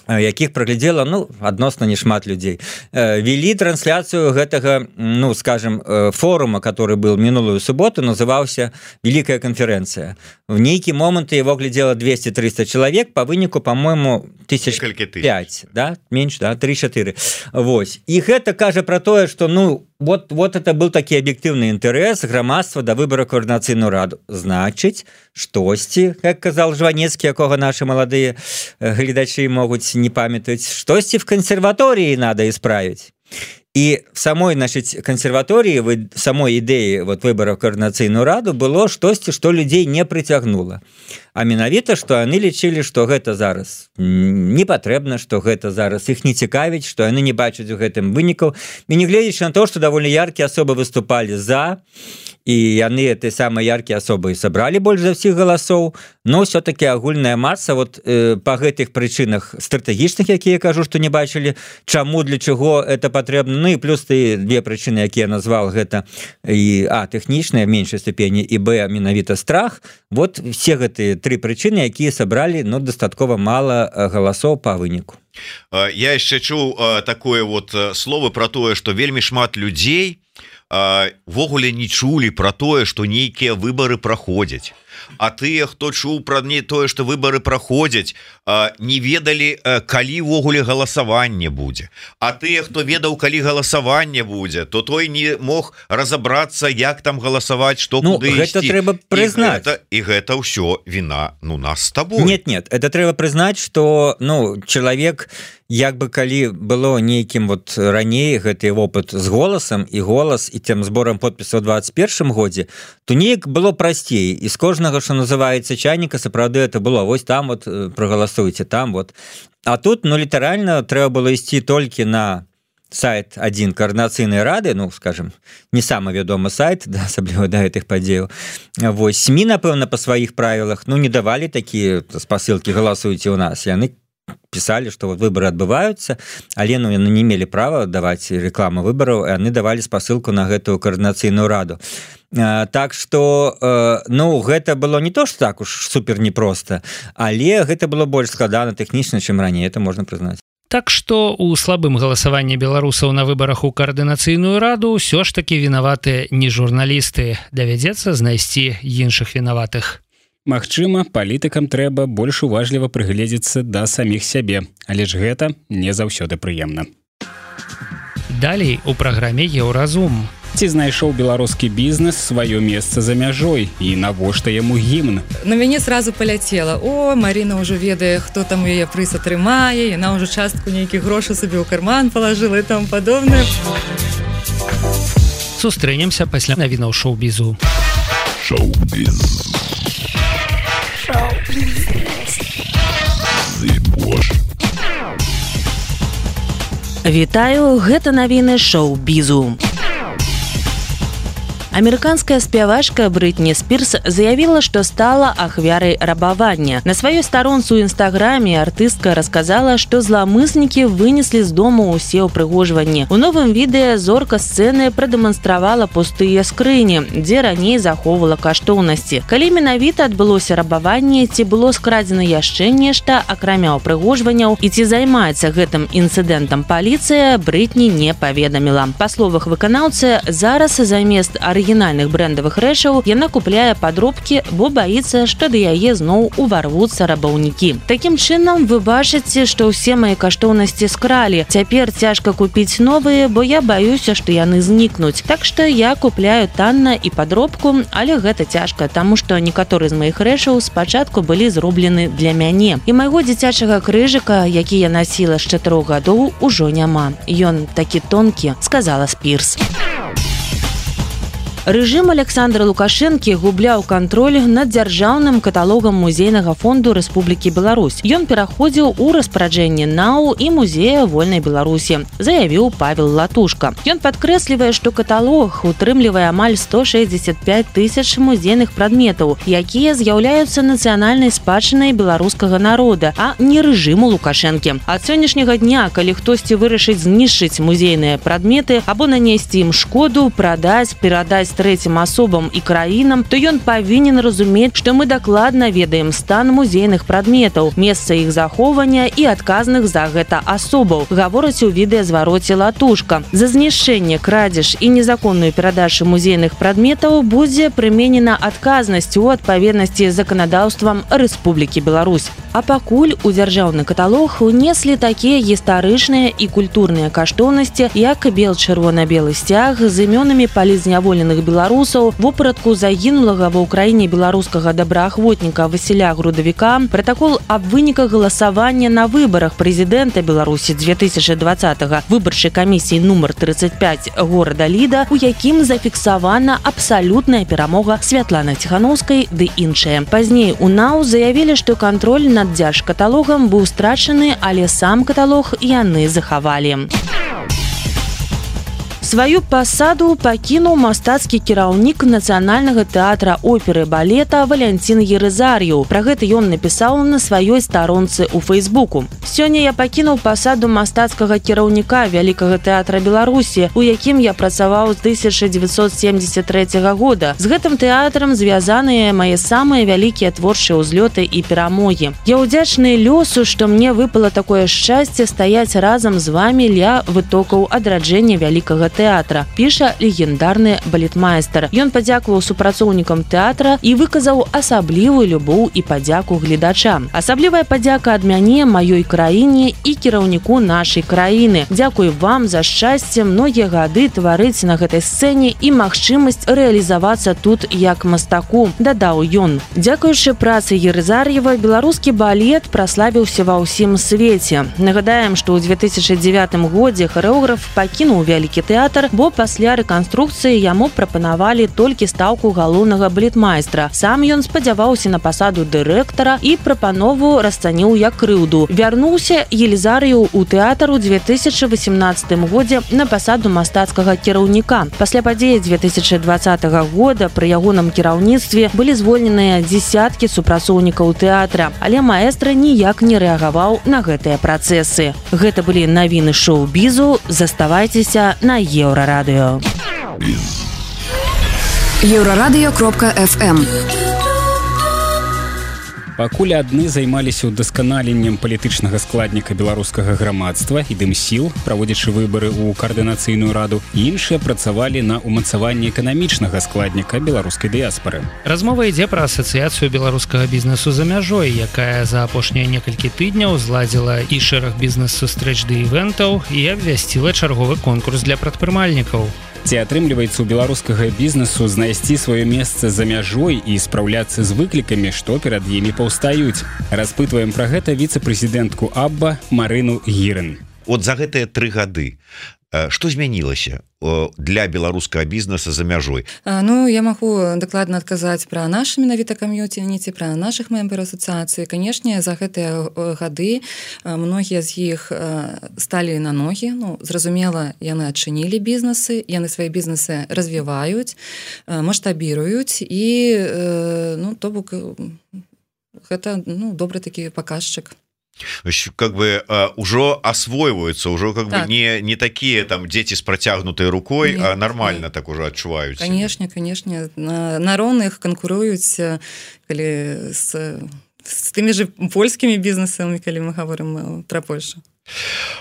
якіх праглядзела, ну, адносна не шмат людзей. Вели трансляцыю гэтага, ну, скажем, форума, который был минулую субботу, называўся «Великая конференция». В нейкі момант его глядела двести-триста человек, по выніку, по-моему, тысяч пять, да, меньше, да, три-четыре. Вось. И гэта кажа про тое, что, ну, вот, вот это был такі аб'ектыўны інтарэс грамадства да выбора Координацыйную раду. Значыць, штосьці, как казал Жванецкі, якога наши маладыя гледачы могуць не памятаюць, штосьці в консерватории надо исправить. И в самой нашей консерватории, в самой идее вот выбора в Координацыйную раду было штосьці, что людей не притягнуло. а менавіта што яны лічылі што гэта зараз не патрэбна, што гэта зараз іх не цікавіць, што яны не бачаць у гэтым вынікаў і не гледзячы на то, што даволі яркія асобы выступалі за і яны этой самай яркія асобы сабралі больш за ўсіх галасоў, но все-таки агульная маса вот э, па гэтых прычынах стратэгічных, якія кажу, што не бачылі, чаму, для чаго это патрэбна, ну і плюс ты две прычыны, якія назвал, гэта і а тэхнічная в меншай ступені і б менавіта страх. Вот все гэтыя тры прычыны, якія сабралі ну дастаткова мала галасоў па выніку. Я яшчэ чуў такое вот слово про тое, што вельмі шмат людзей ввогуле не чулі про тое, што нейкія выбары праходзяць. А тыя, хто чуў пра не тое, што выбары праходзяць, не ведалі, калі ўвогуле галасаванне будзе. А тыя, хто ведаў, калі галасаванне будзе, то той не мог разабрацца, як там галасаваць, што ну, куды гэта ісці. Трэба прызнаць. І гэта, і гэта ўсё віна ну нас з табой. Нет, нет, это трэба прызнаць, што ну чалавек як бы калі было нейкім вот раней гэты вопыт з голасам і голас і тем зборам подпісаў у двадцать першым годзе, то неяк было прасцей і з кожнага, што называецца чайніка, сапраўды это было вось там вот прагаласуйце там вот. А тут ну літаральна трэба было ісці толькі на сайт адзін каардынацыйнай рады, ну скажем, не самы вядомы сайт, да, асабліва да гэтых падзеяў. Вось СМІ, напэўна, па сваіх правілах ну не давалі такія спасылкі галасуйце ў нас, яны писали, что вот выборы отбываются, але ну, яны не имели права давать рекламу выборов, и они давали спасылку на гэтую координацыйную раду. А, так что э, ну гэта было не то, что так уж супер непросто, але гэта было больш складана тэхнічна, чым раней, это можно признать. Так што у слабым галасаванні беларусаў на выбарах у коордынацыйную раду ўсё ж такі вінаваты не журналісты, давядзецца знайсці іншых вінаватых. Магчыма, палітыкам трэба больш уважліва прыгледзецца да саміх сябе, але ж гэта не заўсёды прыемна. Далей у праграме «Еўразум». Ці знайшоў беларускі бізнес сваё месца за мяжой і навошта яму гімн? На мяне сразу паляцела: о, Марина ўжо ведае, хто там у яе прыз атрымае, яна ўжо частку нейкіх грошай сабе ў карман палажыла і там падобнае. Сустрэнемся пасля навінаў шоу-бізу. Шоу-біз. Вітаю, гэта навіны шоу-бізу. Амерыканская спявачка Брытні Спірс заявіла, што стала ахвярай рабавання. На сваёй старонцы ў інстаграме артыстка расказала, што зламыснікі вынеслі з дому ўсе ўпрыгожванні. У новым відэа зорка сцэны прадэманстравала пустыя скрыні, дзе раней захоўвала каштоўнасці. Калі менавіта адбылося рабаванне, ці было скрадзена яшчэ нешта, акрамя ўпрыгожванняў, і ці займаецца гэтым інцыдэнтам паліцыя, Брытні не паведаміла. Па словах выканаўцы, зараз замест арыгінальных арыгінальных брэндавых рэчаў яна купляе падробкі, бо баіцца, што да яе зноў уварвуцца рабаўнікі. Такім чынам вы бачыце, што ўсе мае каштоўнасці скралі. Цяпер цяжка купіць новыя, бо я баюся, што яны знікнуць. Так што я купляю танна і падробку, але гэта цяжка, таму што некаторыя з маіх рэчаў спачатку былі зроблены для мяне. І майго дзіцячага крыжыка, які я насіла з чатырох гадоў, ужо няма. Ён такі тонкі, сказала Спірс. Рэжым Александра Лукашэнкі губляў кантроль над дзяржаўным каталогам музейнага фонду Рэспублікі Беларусь. Ён пераходзіў у распараджэнне НАУ і музея Вольнай Беларусі, заявіў Павел Латушка. Ён падкрэслівае, што каталог утрымлівае амаль сто шэсцьдзесят пяць тысяч музейных прадметаў, якія з'яўляюцца нацыянальнай спадчынай беларускага народа, а не рэжыму Лукашэнкі. Ад сённяшняга дня, калі хтосьці вырашыць знішчыць музейныя прадметы або нанесці ім шкоду, прадаць, перадаць трэцім асобам і краінам, то ён павінен разумець, што мы дакладна ведаем стан музейных прадметаў, месца іх захоўвання і адказных за гэта асобаў, гаворыць у відэазвароце Латушка. За знішчэнне, крадзеж і незаконную перадачу музейных прадметаў будзе прыменена адказнасць у адпаведнасці з заканадаўствам Рэспублікі Беларусь. А пакуль у дзяржаўны каталог унеслі такія гістарычныя і культурныя каштоўнасці, як бел-чырвона-белы сцяг з імёнамі палізняволеных беларусаў, вопратку загінулага ва ўкраіне беларускага добраахвотніка Васіля Грудавіка, пратакол аб выніках галасавання на выбарах прэзідэнта Беларусі две тысячи двадцатого выбарчай камісіі нумар тридцать пять горада Ліда, у якім зафіксавана абсалютная перамога Святланы Ціхановскай ды іншыя. Пазней у НАУ заявілі, што кантроль над дзяржкаталогам быў страчаны, але сам каталог яны захавалі. Сваю пасаду пакінуў мастацкі кіраўнік Нацыянальнага тэатра оперы балета Валянцін Ерызар'еў. Пра гэта ён напісаў на сваёй старонцы ў Фейсбуку. Сёння я пакінуў пасаду мастацкага кіраўніка Вялікага тэатра Беларусі, у якім я працаваў з тысяча дзевяцьсот семьдесят третьего года. З гэтым тэатрам звязаныя мае самыя вялікія творчыя ўзлёты і перамогі. Я ўдзячны лёсу, што мне выпала такое шчасце стаяць разам з вамі ля вытокаў адраджэння Вялікага тэатра, піша легендарны балетмайстар. Ён падзякаваў супрацоўнікам тэатра і выказаў асаблівую любоў і падзяку гледачам. Асаблівая падзяка ад мяне, маёй краіне і кіраўніку нашай краіны. Дзякуй вам за шчасце многія гады тварыць на гэтай сцэне і магчымасць рэалізавацца тут як мастаку, дадаў ён. Дзякуючы працы Ерызар'ева беларускі балет праславіўся ва ўсім свеце. Нагадаем, што ў две тысячи девятым годзе харэограф пакінуў Вялікі тэатр, бо пасля рэканструкцыі яму прапанавалі толькі стаўку галоўнага балетмайстра. Сам ён спадзяваўся на пасаду дырэктара і прапанову расцаніў як крыўду. Вярнуўся Елізар'еў у тэатр у две тысячи восемнадцатым годзе на пасаду мастацкага кіраўніка. Пасля падзеі две тысячи двадцатого года пры ягоным кіраўніцтве былі звольненыя дзесяткі супрацоўнікаў тэатра, але маэстра ніяк не рэагаваў на гэтыя працэсы. Гэта былі навіны шоу-бізу. Заставайцеся на Еўрарадыё. Еўрарадыё кропка эф эм. Пакуль адны займаліся ўдасканаленнем палітычнага складніка беларускага грамадства і дымсіл, праводзячы выбары ў каардынацыйную раду, іншыя працавалі на ўмацаванні эканамічнага складніка беларускай дыяспары. Размова ідзе пра асацыяцыю беларускага бізнесу за мяжой, якая за апошнія некалькі тыдняў зладзіла і шэраг бізнес-сустрэч ды івентаў і абвясціла чарговы конкурс для прадпрымальнікаў. Ці атрымліваецца ў беларускага бізнесу знайсці сваё месца за мяжой і спраўляцца з выклікамі, што перад імі паўстаюць? Распытваем пра гэта віцэ-прэзідэнтку Абба Марыну Гірын. От за гэтыя тры гады што змянілася для беларускага бізнеса за мяжой? Ну, я магу дакладна адказаць пра наш менавіта кам'юніці, пра нашых мембер асацыяцыі. Канешне, за гэтыя гады многія з іх сталі на ногі. Ну, зразумела, яны адчынілі бізнесы, яны свае бізнесы развіваюць, маштабіруюць і, ну, то бок, гэта, ну, добры такі паказчык. Как бы э, уже освоиваются, уже как так. бы не, не такие там дети с протягнутой рукой, нет, а нормально нет. Так уже отчуваются. Конечно, конечно. На, на роўных канкуруюць калі с, с теми же польскими бизнесами, калі мы говорим про Польшу.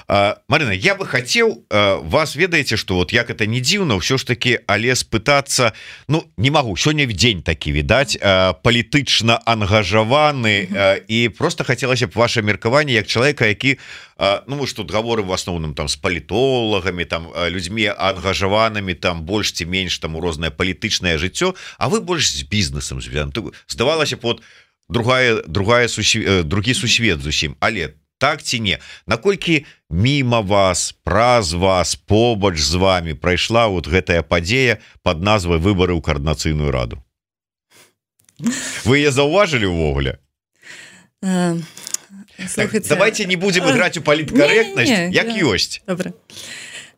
А, Марина, я бы хотел а, вас ведаете, что вот як это не дзіўна, все ж таки але спытаться, ну не могу, сегодня в день таки видать а, палітычна ангажаваны а, и просто хотелось бы ваше меркаванне як человека, які а, ну мы ж тут говорим в основном там с палітолагами, там людьми ангажаванными, там больш ці менш там у рознае палітычнае жыццё, а вы больш з бізнесам звязаны. Здавалася б, вот другая другая сусве, другі сусвет зусім, але так ці не, наколькі міма вас, праз вас, побач з вами прайшла вот гэтая падзея под назвай выбары ў каардынацыйную раду? Вы яе заўважылі ўвогуле? Uh, так, давайте не будем играть у паліткарэктнасць, як ёсць. Добра.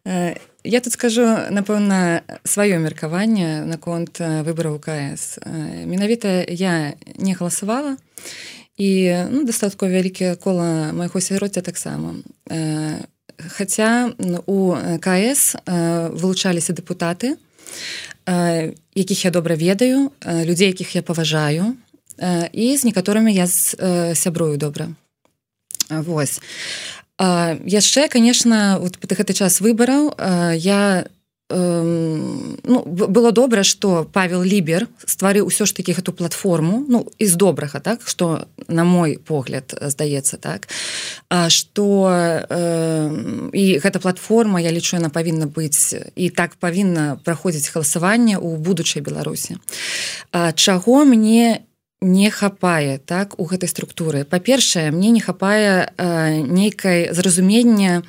Uh, я тут скажу, напэўна, сваё меркаванне наконт выбараў КС. Uh, менавіта я не галасавала, і ну, дастаткова вялікае кола майго асяроддзя таксама. Э, хаця у КС э, вылучаліся дэпутаты, э, якіх я добра ведаю, э, людзей, якіх я паважаю, э, і з некаторымі я з, э, сябрую добра. Вось. Э, яшчэ, конечно, вот па гэты час выбараў э, я э, ну, было добра, што Павел Лібер стварыў усё ж такі гэту платформу, ну, з добрага, так, што на мой погляд здаецца, так, што э, і гэта платформа, я лічу, яна павінна быць і так павінна праходзіць галасаванне ў будучай Беларусі. А, чаго мне не хапае, так, у гэтай структуры? Па-першае, мне не хапае э, нейкай зразумення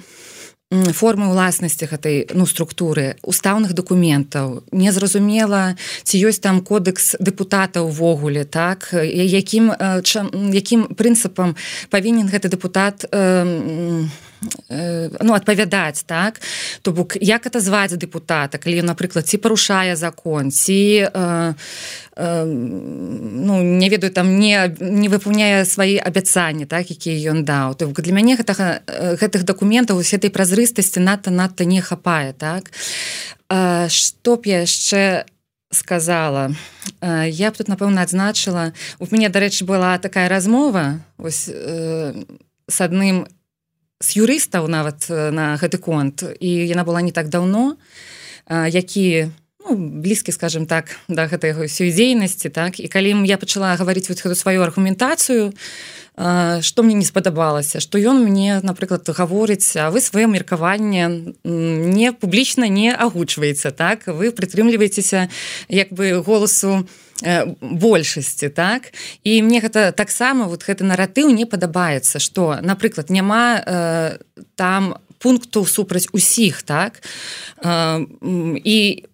формы ўласнасці гэтай, ну, структуры, устаўных дакументаў. Незразумела, ці ёсць там кодекс дэпутата ўвогуле, так, якім, чам, якім прынцыпам павінен гэты дэпутат э, э, ну, адпавядаць, так, то бок, як атазваць дэпутата, калі ён, напрыклад, ці парушае закон, ці э, э, ну, не ведаю, там не, не выпаўняе свае абяцанні, так, якія ён даў. То бок, для мяне гэтага, гэтых дакументаў, вось гэтай празрыстасці надта-надта не хапае, так. А, што б я яшчэ сказала? А, я б тут, напэўна, адзначыла, у мяне, дарэчы, была такая размова вось, э, з адным з юрыстаў нават на гэты конт, і яна была не так даўно, а, які, ну, блізкі, скажем так, да гэтай ўсёй дзейнасці, так, і калі я пачала гаварыць вот гэту сваю аргументацыю, што мне не спадабалася, што ён мне, напрыклад, гаворыць, а вы сваё меркаванне не публічна не агучваеце, так, вы прытрымліваецеся як бы голасу большасці, так, і мне гэта таксама вот гэты наратыў не падабаецца, што, напрыклад, няма э, там пункту супраць усіх, так, э, і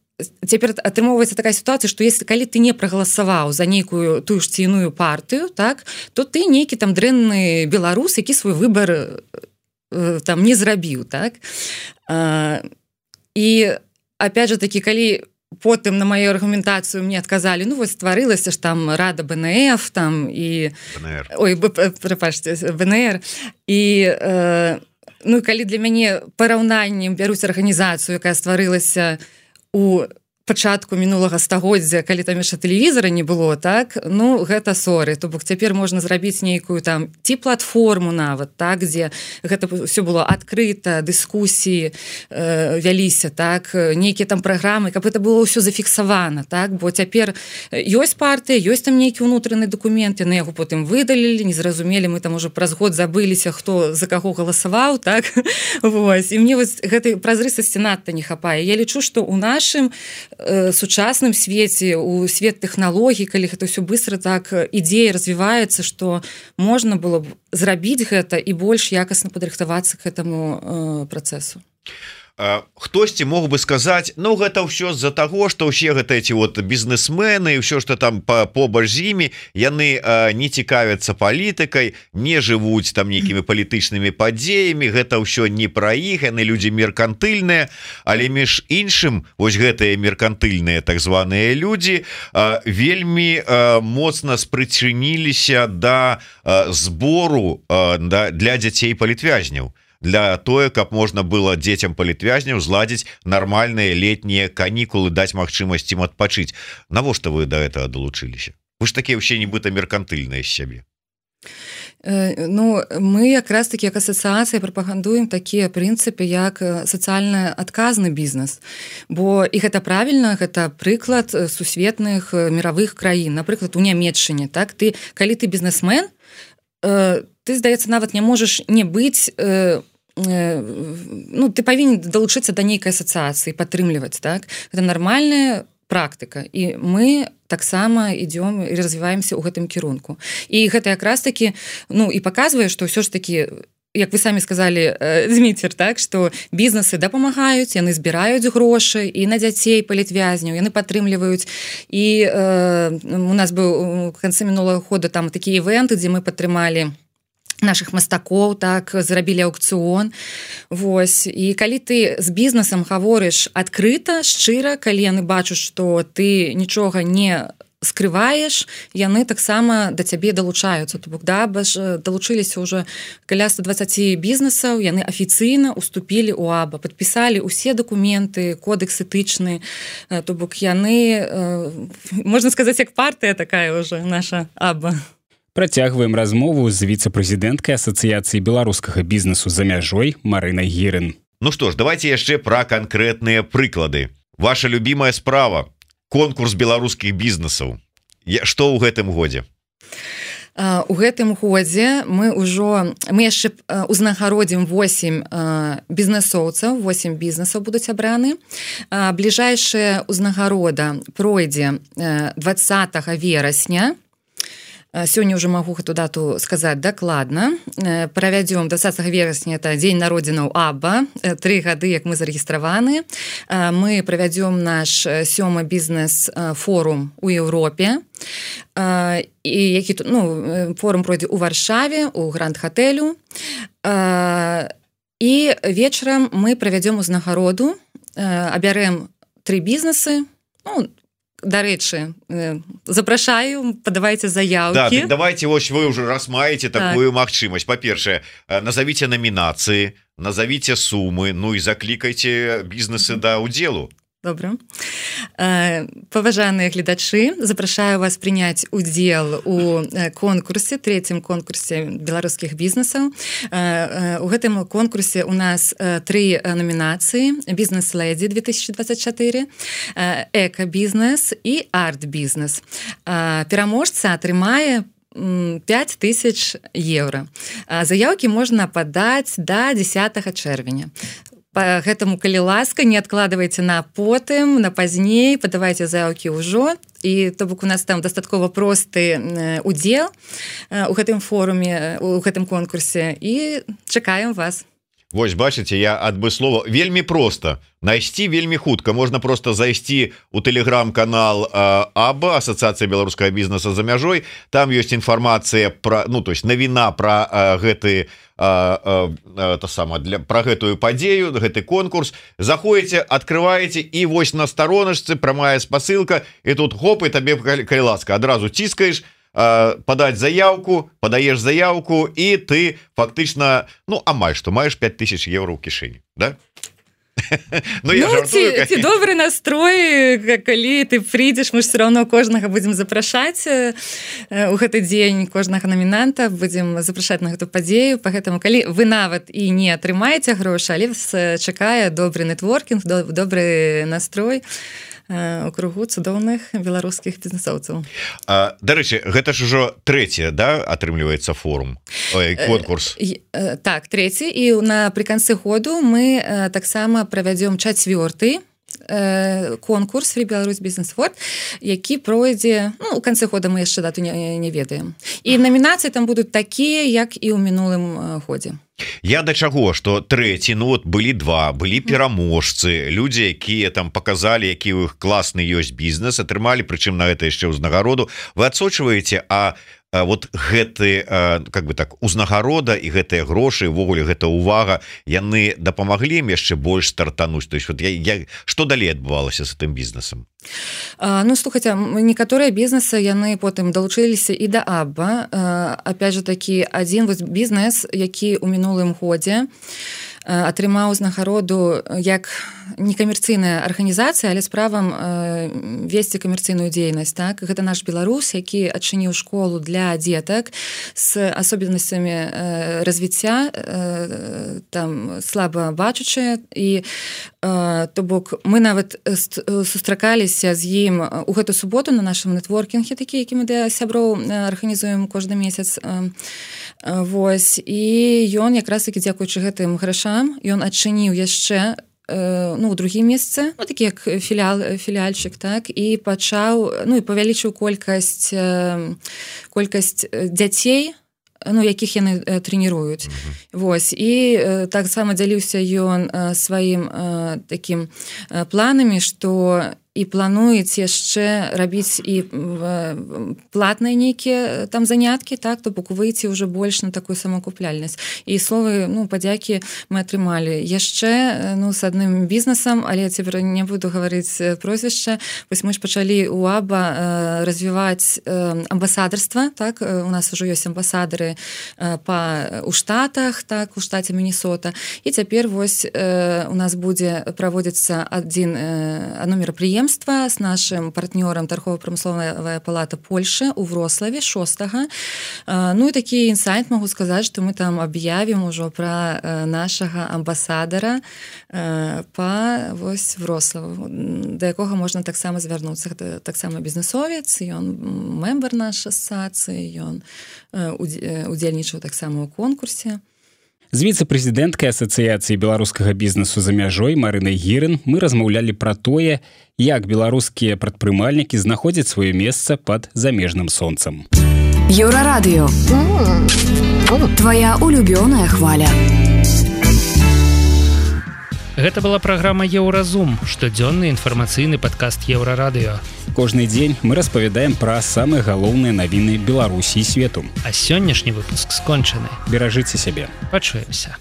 цяпер атрымоўваецца такая сітуацыя, што если калі ты не прагаласаваў за нейкую тую ж ці іную партыю, так, то ты нейкі там дрэнны беларус, які свой выбар э, там не зрабіў, так. А, і опять же таки, калі потым на маю аргументацыю мне адказалі, ну вось стварылася ж там рада бэ эн эф там і БНР. Ой, прапачце, бэ эн эр, і э, ну калі для мяне параўнаннем бяруць арганізацыю, якая стварылася у пачатку мінулага стагоддзя, калі там яшчэ тэлевізара не было, так, ну, гэта соры, то бок цяпер можна зрабіць нейкую там ці платформу нават, так, дзе гэта ўсё было адкрыта, дыскусіі э, вяліся, так, нейкія там праграмы, каб гэта было ўсё зафіксавана, так, бо цяпер ёсць партыя, ёсць там нейкі ўнутраны дакумент, яны яго потым выдалілі, не зразумелі, мы там ужо праз год забыліся, хто за каго галасаваў, так, вось, і мне вось гэтай празрыстасці надта не хапае. Я лічу, што ў нашым сучасным свеце, у свет тэхналогій, калі гэта ўсё быстро так ідзея развіваецца, што можна было б зрабіць гэта і больш якасна падрыхтавацца к гэтаму э, працэсу. Хтосьці мог бы сказаць, ну гэта ўсё з-за таго, што ўсе гэта эти вот бізнесмены, ўсё што там побач з імі, яны а, не цікавяцца палітыкай, не жывуць там нейкімі палітычнымі падзеямі, гэта ўсё не пра іх, яны людзі меркантыльныя, але між іншым вось гэтыя меркантыльныя так званыя людзі а, вельмі а, моцна спрычыніліся да а, збору а, да, для дзяцей палітвязняў, для тое, каб можна было дзецям палітвязняў зладзіць нармальныя летнія канікулы, даць магчымасць ім адпачыць. Навошта вы да гэтага далучыліся? Вы ж такія ўсе нібыта меркантыльныя з сябе. Ну, мы якраз такі як асацыяцыя прапагандуем такія прынцыпы як сацыяльна адказны бізнес, бо і гэта правільна, гэта прыклад сусветных міравых краін, напрыклад у Нямецчыне, так, ты калі ты бізнесмен, ты, здаецца, нават не можаш не быць, ну, ты павінен далучыцца да нейкай асацыяцыі, падтрымліваць, так, гэта нармальная практыка, і мы таксама ідём і развіваемся ў гэтым кірунку. І гэта якраз такі, ну, і паказвае, што ўсё ж такі, як вы самі сказалі, Зміцер, так, што бізнесы дапамагаюць, яны збіраюць грошы і на дзяцей палітвязняў, яны падтрымліваюць. І э, у нас быў у канцы мінулага года там такі івенты, дзе мы падтрымалі наших мастакоў, так, зрабілі аўкцыён. Вось. І калі ты з бізнесам гаворыш адкрыта, шчыра, калі яны бачаць, што ты нічога не скрываеш, яны таксама да цябе далучаюцца. То бок, да, баш далучыліся ўжо каля ста дваццаць бізнесаў, яны афіцыйна уступілі ў АБА, падпісалі ўсе дакументы, кодекс этычны, то бок яны, можна сказаць, як партыя такая ўжо наша АБА. Працягваем размову з віцэ-прэзідэнткай асацыяцыі беларускага бізнесу за мяжой Марынай Гірын. Ну што ж, давайте яшчэ пра канкрэтныя прыклады. ваша любимая справа конкурс беларускіх бізнесаў. Што ў гэтым годзе? У гэтым годзе мы ўжо мы яшчэ узнагародзім восемь бізнесоўцаў, восемь бізнесаў будуць абраны. Бліжэйшая ўзнагарода пройдзе двадцатага верасня. Сёння ўжо магу гэту дату сказаць дакладна. Правядзём двадцатага верасня, это дзень народзінаў АББА, тры гады, як мы зарэгістраваны. Мы правядзём наш сёмы бізнес-форум у Еўропе. І які, ну, форум пройдзе ў Варшаве, у Гранд-хатэлю. І вечарам мы правядзём узнагароду, абярэм тры бізнесы, ну, дарэчы, запрашаю, падавайце заявкі. Да, давайте, вось вы уже раз маеце такую так. магчымасць. Па-першае, назовіце намінацыі, назовіце сумы, ну і заклікайце бізнесы да ўдзелу. Добра. Паважаныя гледачы, запрашаю вас прыняць удзел у конкурсе, трэцім конкурсе беларускіх бізнесаў. У гэтым конкурсе у нас тры намінацыі: бізнес-лэдзі две тысячи двадцать чатыры, эка-бізнес і арт-бізнес. Пераможца атрымае пять тысяч еўра. Заявкі можна падаць да дзесятага чэрвеня. По гэтаму, калі ласка, не адкладвайце на потым, на пазней, падавайце заявкі ўжо. І то бок у нас там дастаткова просты удзел у гэтым форуме, у гэтым конкурсе, і чакаем вас. Вось, бачыце, я адмыслова вельмі проста. Найсці вельмі хутка. Можна просто зайсці ў тэлеграм-канал АББА, Асацыяцыя беларускага бізнеса за мяжой. Там ёсць інфармацыя пра, ну, то есть навіна пра гэты а, а, то сама для пра гэтую падзею, гэты конкурс. Заходзіце, адкрываеце, і вось на староначцы прамая спасылка, і тут хоп, і табе, калі ласка, адразу ціскаеш, подать заявку, подаешь заявку, и ты фактично, ну, амаль что, маешь пять тысяч евро ў кішэні, да? Ну, я ну жартую, ці, ці добры настрой, калі ты прыйдзеш, мы ж все равно кожнага будзем запрашаць у гэты дзень, кожнага намінанта будзем запрашаць на гэту падзею, па гэтаму, калі вы нават і не атрымаеце грошы, але вас чакае добры нетворкінг, добры настрой у кругу цудоўных беларускіх бізнесоўцаў. Дарэчы, гэта ж ужо трэці, да, атрымліваецца форум, ой, конкурс? Так, трэці, і напрыканцы году мы таксама правядзём чацвёрты конкурс Free Belarus Business Award, які пройдзе, ну, у канцы года мы яшчэ дату не, не ведаем. І намінацыі там будуць такія, як і ў мінулым годзе. Я да чаго, што трэці, ну вот былі два, былі пераможцы, людзі, якія там показалі, які ў іх класны ёсць бізнес, атрымалі, прычым на гэта яшчэ ўзнагароду. Вы адсочваеце, а вот гэты, как бы так, узнагарода і гэтыя грошы, увогуле гэта увага, яны дапамаглі ім яшчэ больш стартануць. То есть вот я, я, што далей адбывалася з гэтым бізнесам? А, ну, слухайце, некаторыя бізнесы, яны потым далучыліся і да АББА. А, опять же такі, адзін вось бізнес, які ў мінулым годзе атрымаў узнагароду як некамерцыйная арганізацыя, але з правам весці камерцыйную дзейнасць, так? Гэта наш беларус, які адчыніў школу для дзетак з асобенасцямі развіцця, там слаба бачачыя, і то бок мы нават сустракаліся з ім у гэту суботу на нашым нетворкінге, такі, які мы для сяброў арганізуем кожны месяц. Вось, і ён якраз такі, дзякуючы гэтым грашам, ён адчыніў яшчэ, ну, у другім месцы, ну, такі як філіал, філіальчык, так, і пачаў, ну, і павялічыў колькасць, колькасць дзяцей, ну, якіх яны трэніруюць. Mm-hmm. Вось, і таксама дзяліўся ён сваім такім планамі, што і плануюць яшчэ рабіць і платныя нейкія там заняткі, так, то бок выйти ўжо больш на такую самакупляльнасць. І словы, ну, падзякі мы атрымалі. Яшчэ, ну, з адным бізнесам, але я цяпер не буду гаварыць прозвішча, вось мы ж пачалі ў АББА развіваць амбасадарства, так, у нас ужо ёсць амбасадары па у штатах, так, у штаце Міннесота, і цяпер вось у нас будзе праводзіцца адзін адно мерапрыемства прадпрыемства з нашым партнёрам торгово-промысловая палата Польши у Врославе шостага. Ну і такі інсайт могу сказаць, што мы там аб'явім ужо пра нашага амбасадара па вось Врославу, да якога можна таксама звярнуцца. Гэта таксама бізнесовец, ён мембар нашай асацыі, ён удзельнічаў таксама ў конкурсе. З віцэ-прэзідэнткай асацыяцыі беларускага бізнесу за мяжой Марынай Гірын мы размаўлялі пра тое, як беларускія прадпрымальнікі знаходзяць сваё месца пад замежным сонцам. Еўрарадыё. Твая улюбёная хваля. Гэта была праграма Еўразум, штодзённы інфармацыйны падкаст Еўрарадыё. Кожны дзень мы распавядаем пра самыя галоўныя навіны Беларусі і свету. А сённяшні выпуск скончаны. Беражыце сябе. Пачуемся.